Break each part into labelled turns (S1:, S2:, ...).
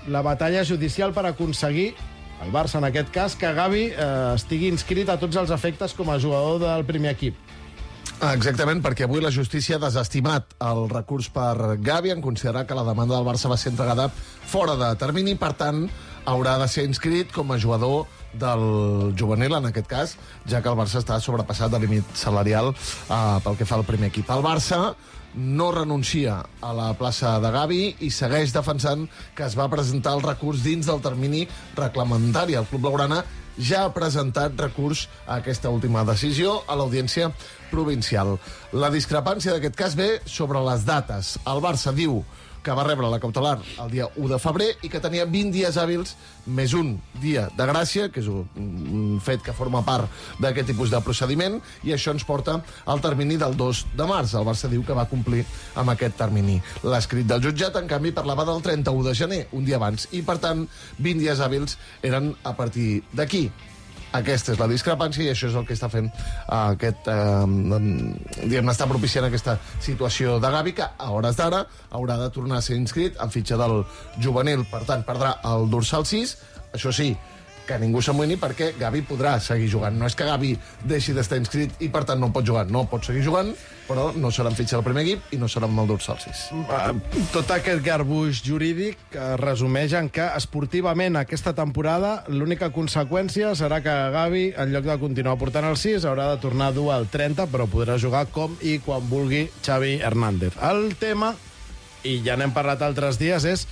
S1: la batalla judicial per aconseguir, el Barça en aquest cas, que Gavi estigui inscrit a tots els efectes com a jugador del primer equip.
S2: Exactament, perquè avui la justícia ha desestimat el recurs per Gavi en considerar que la demanda del Barça va ser entregada fora de termini, per tant, haurà de ser inscrit com a jugador del juvenil, en aquest cas, ja que el Barça està sobrepassat de límit salarial pel que fa al primer equip. El Barça no renuncia a la plaça de Gavi i segueix defensant que es va presentar el recurs dins del termini reglamentari. El club blaugrana ja ha presentat recurs a aquesta última decisió a l'audiència provincial. La discrepància d'aquest cas ve sobre les dates. El Barça diu que va rebre la cautelar el dia 1 de febrer i que tenia 20 dies hàbils més un dia de gràcia, que és un fet que forma part d'aquest tipus de procediment, i això ens porta al termini del 2 de març. El Barça diu que va complir amb aquest termini. L'escrit del jutjat, en canvi, parlava del 31 de gener, un dia abans, i, per tant, 20 dies hàbils eren a partir d'aquí. Aquesta és la discrepància i això és el que està fent està propiciant aquesta situació de Gavi, que a hores d'ara haurà de tornar a ser inscrit en fitxa del juvenil. Per tant, perdrà el dorsal 6, això sí, que ningú s'amoïni perquè Gavi podrà seguir jugant. No és que Gavi deixi d'estar inscrit i per tant no pot jugar. No pot seguir jugant, però no serà en fitxa del primer equip i no serà amb el dorsal 6.
S1: Tot aquest garbuix jurídic resumeix en que esportivament aquesta temporada l'única conseqüència serà que Gavi, en lloc de continuar portant el 6, haurà de tornar a dur el 30, però podrà jugar com i quan vulgui Xavi Hernández. El tema, i ja n'hem parlat altres dies, és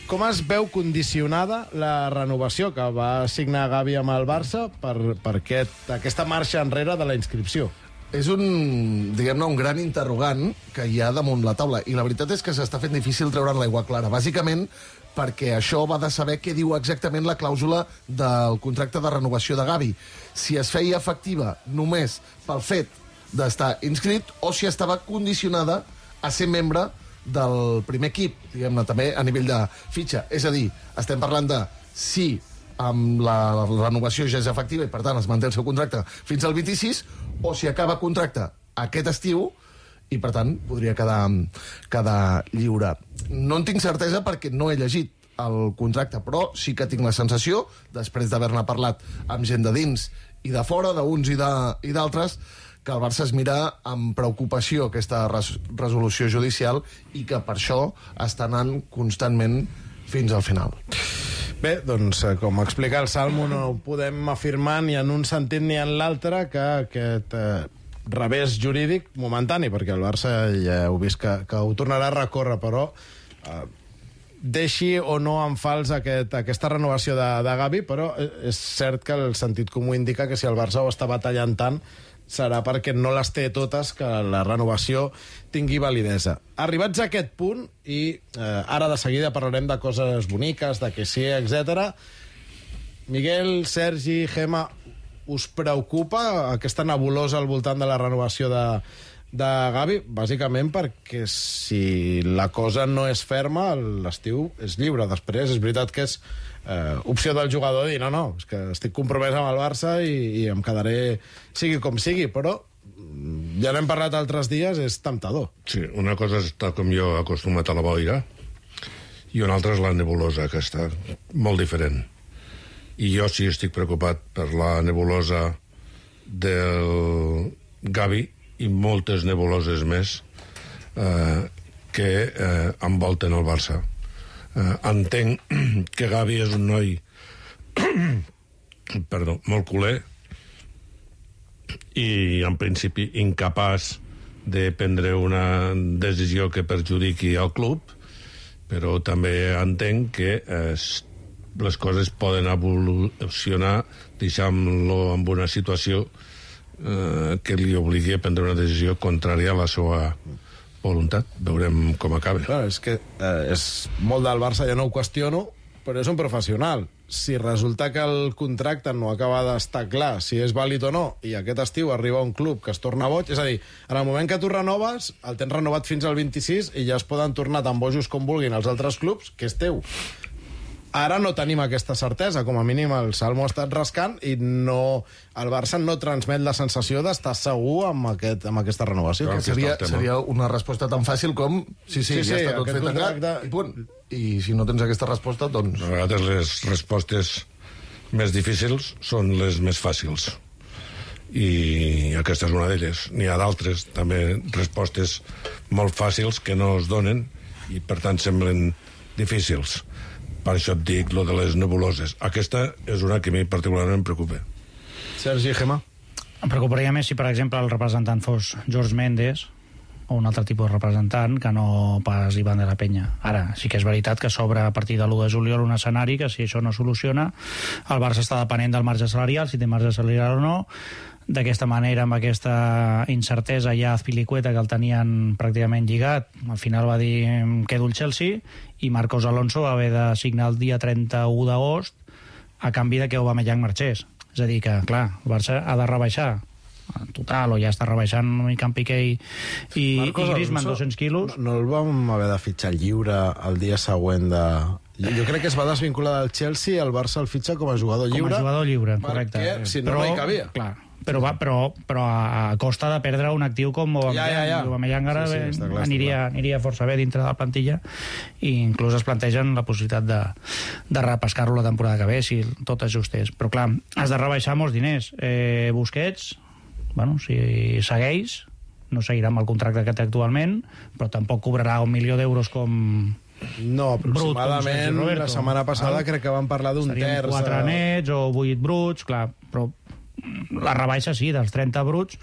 S1: com es veu condicionada la renovació que va signar Gavi amb el Barça per aquesta marxa enrere de la inscripció?
S2: És un gran interrogant que hi ha damunt la taula. I la veritat és que s'està fent difícil treure'n l'aigua clara. Bàsicament perquè això va de saber què diu exactament la clàusula del contracte de renovació de Gavi. Si es feia efectiva només pel fet d'estar inscrit o si estava condicionada a ser membre del primer equip, diguem-ne, també a nivell de fitxa. És a dir, estem parlant de si amb la renovació ja és efectiva i, per tant, es manté el seu contracte fins al 26, o si acaba contracte aquest estiu i, per tant, podria quedar lliure. No en tinc certesa perquè no he llegit el contracte, però sí que tinc la sensació, després d'haver-ne parlat amb gent de dins i de fora, d'uns i d'altres, que el Barça es mira amb preocupació aquesta resolució judicial i que per això està anant constantment fins al final.
S1: Bé, doncs, com explica el Salmo, no podem afirmar ni en un sentit ni en l'altre que aquest revés jurídic momentani, perquè el Barça ja heu vist que ho tornarà a recórrer, però deixi o no en fals aquesta renovació de Gavi, però és cert que el sentit comú indica que si el Barça ho està batallant tant serà perquè no les té totes que la renovació tingui validesa. Arribats a aquest punt, i ara de seguida parlarem de coses boniques, de que sí, etc. Miguel, Sergi, Gemma, us preocupa aquesta nebulosa al voltant de la renovació de Gavi? Bàsicament perquè si la cosa no és ferma, l'estiu és lliure. Després és veritat que és opció del jugador dir no, és que estic compromès amb el Barça i em quedaré sigui com sigui, però ja n'hem parlat altres dies, és temptador.
S3: Sí, una cosa és estar com jo acostumat a la boira i una altra és la nebulosa, que està molt diferent. I jo sí estic preocupat per la nebulosa del Gavi i moltes nebuloses més que envolten el Barça. Entenc que Gavi és un noi molt culer i en principi incapaç de prendre una decisió que perjudiqui el club, però també entenc que les coses poden evolucionar deixant-lo en una situació que li obligui a prendre una decisió contrària a la seva voluntat. Veurem com acaba.
S1: Clar, és que és molt del Barça, ja no ho qüestiono, però és un professional. Si resulta que el contracte no acaba d'estar clar si és vàlid o no, i aquest estiu arriba un club que es torna boig, és a dir, en el moment que tu renoves, el tens renovat fins al 26 i ja es poden tornar tan bojos com vulguin els altres clubs, que és teu. Ara no tenim aquesta certesa, com a mínim el Salmo ha estat rascant i el Barça no transmet la sensació d'estar segur amb aquesta renovació.
S2: Seria una resposta tan fàcil com sí, ja està tot fet tancat i punt. I si no tens aquesta resposta, doncs...
S3: A vegades les respostes més difícils són les més fàcils. I aquesta és una d'elles. N'hi ha d'altres, també, respostes molt fàcils que no es donen i, per tant, semblen difícils. Per això et dic lo de les nebuloses. Aquesta és una que a mi particularment em preocupa.
S1: Sergi, Gemma?
S4: Em preocuparia més si, per exemple, el representant fos George Mendes o un altre tipus de representant que no pas Iván de la Peña. Ara, sí que és veritat que s'obre a partir de l'1 de juliol un escenari que, si això no soluciona, el Barça està depenent del marge salarial, si té marge salarial o no. D'aquesta manera, amb aquesta incertesa, ja Azpilicueta, que el tenien pràcticament lligat, al final va dir em quedo el Chelsea, i Marcos Alonso va haver de signar el dia 31 d'agost a canvi de que Aubameyang marxés. És a dir que, clar, el Barça ha de rebaixar total, o ja està rebaixant una mica en Piqué i Griezmann 200 quilos.
S1: No el vam haver de fitxar lliure el dia següent de... Jo crec que es va desvincular del Chelsea i el Barça el fitxa com a jugador lliure.
S4: Com a jugador lliure, correcte.
S1: Perquè, si no, no hi cabia.
S4: Clar, però a costa de perdre un actiu com Aubameyang. Aubameyang ara aniria força bé dintre de la plantilla, i inclús es plantegen la possibilitat de repescar-lo la temporada que ve, si tot ajustés. Però clar, has de rebaixar molts diners. Busquets, bueno, si segueix, no seguirà amb el contracte que té actualment, però tampoc cobrarà 1 milió d'euros com...
S1: No, aproximadament la setmana passada crec que vam parlar d'un terç.
S4: 4 nets o 8 bruts, clar, però la rebaixa sí, dels 30 bruts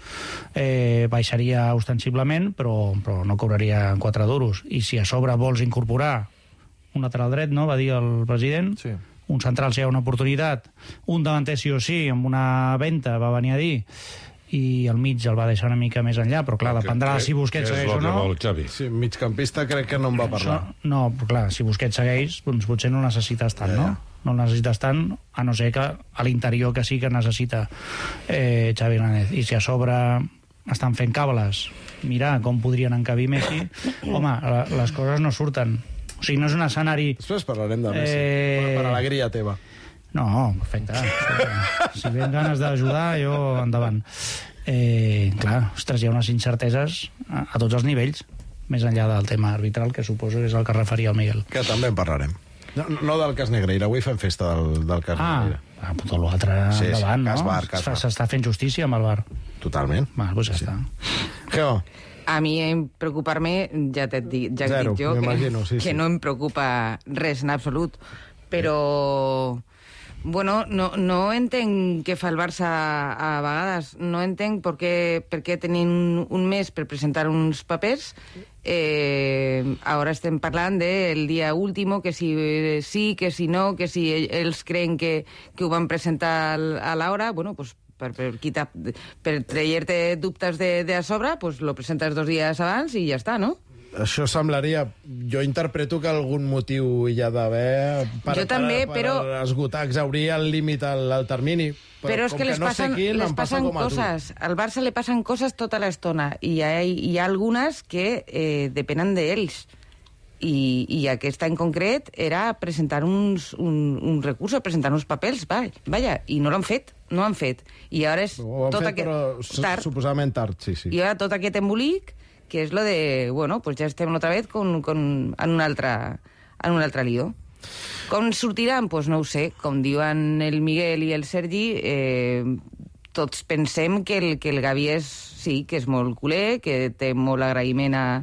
S4: baixaria ostensiblement, però no cobraria 4 duros. I si a sobre vols incorporar un lateral dret, no?, va dir el president, sí. Un central si hi ha una oportunitat, un davanter sí o sí, amb una venda, va venir a dir, i al mig el va deixar una mica més enllà, però clar, dependrà si Busquets segueix o no.
S1: Sí, migcampista crec que no en va parlar.
S4: No, però clar, si Busquets segueix, doncs potser no necessites tant, no? No el necessites tant, a no ser que a l'interior que sí que necessita Xavi Hernández. I si a sobre estan fent cables, mirar com podrien encabir Messi, home, les coses no surten. O sigui, no és un escenari...
S1: Després parlarem de Messi, per alegria teva.
S4: No, perfecte. Si ven ganes d'ajudar, jo endavant. Clar, ostres, hi ha unes incerteses a tots els nivells, més enllà del tema arbitral, que suposo que és el que referia el Miguel.
S1: Que també en parlarem. No del cas Negreira, avui fem festa del cas Negreira.
S4: Tot l'altre endavant, no? S'està fent justícia amb el VAR.
S1: Totalment.
S4: Doncs ja està.
S1: Geo.
S5: A mi preocupar-me, ja t'he dit jo, que no em preocupa res en absolut, però... Bueno, no entenc què fa el Barça a vegades. No entenc per què tenint un mes per presentar uns papers. Ara estem parlant del dia último, que si sí, que si no, que si ells creen que ho van presentar a l'hora, bueno, pues per traient-te dubtes de a sobre, pues lo presentes 2 dies abans i ja està, no?
S1: Això semblaria... Jo interpreto que algun motiu hi ha d'haver per esgotar, exaurir el límit al termini.
S5: Però és que les passen coses. Al Barça li passen coses tota l'estona, i hi ha algunes que depenen d'ells. I aquesta en concret era presentar un recurs, presentar uns papers, vaja, i no l'han fet. I ara és tot aquest... Tard.
S1: Suposadament tard, sí.
S5: I ara tot aquest embolic, que és lo de, bueno, pues ja estem otra vez en un altre lío. Com sortiran? Pues no ho sé. Com diuen el Miguel i el Sergi, tots pensem que el Gavi que és molt culer, que té molt agraïment a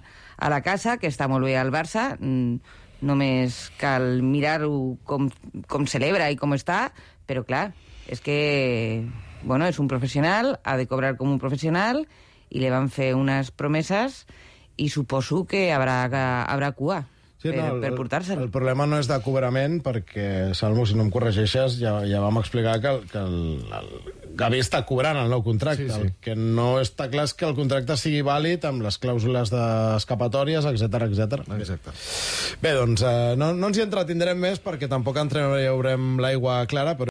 S5: la casa, que està molt bé al Barça. Només cal mirar-ho com celebra i com està, però clar, és que, bueno, és un professional, ha de cobrar com un professional, i li van fer unes promeses i suposo que haurà cua per portar-se'l.
S1: El problema no és de cobrament, perquè, Salmo, si no em corregeixes, ja vam explicar que el Gavi està cobrant el nou contracte. Sí. El que no està clar és que el contracte sigui vàlid amb les clàusules d'escapatòries, etc.
S2: Exacte.
S1: Bé, doncs no ens hi entretindrem més perquè tampoc entreveurem l'aigua clara, però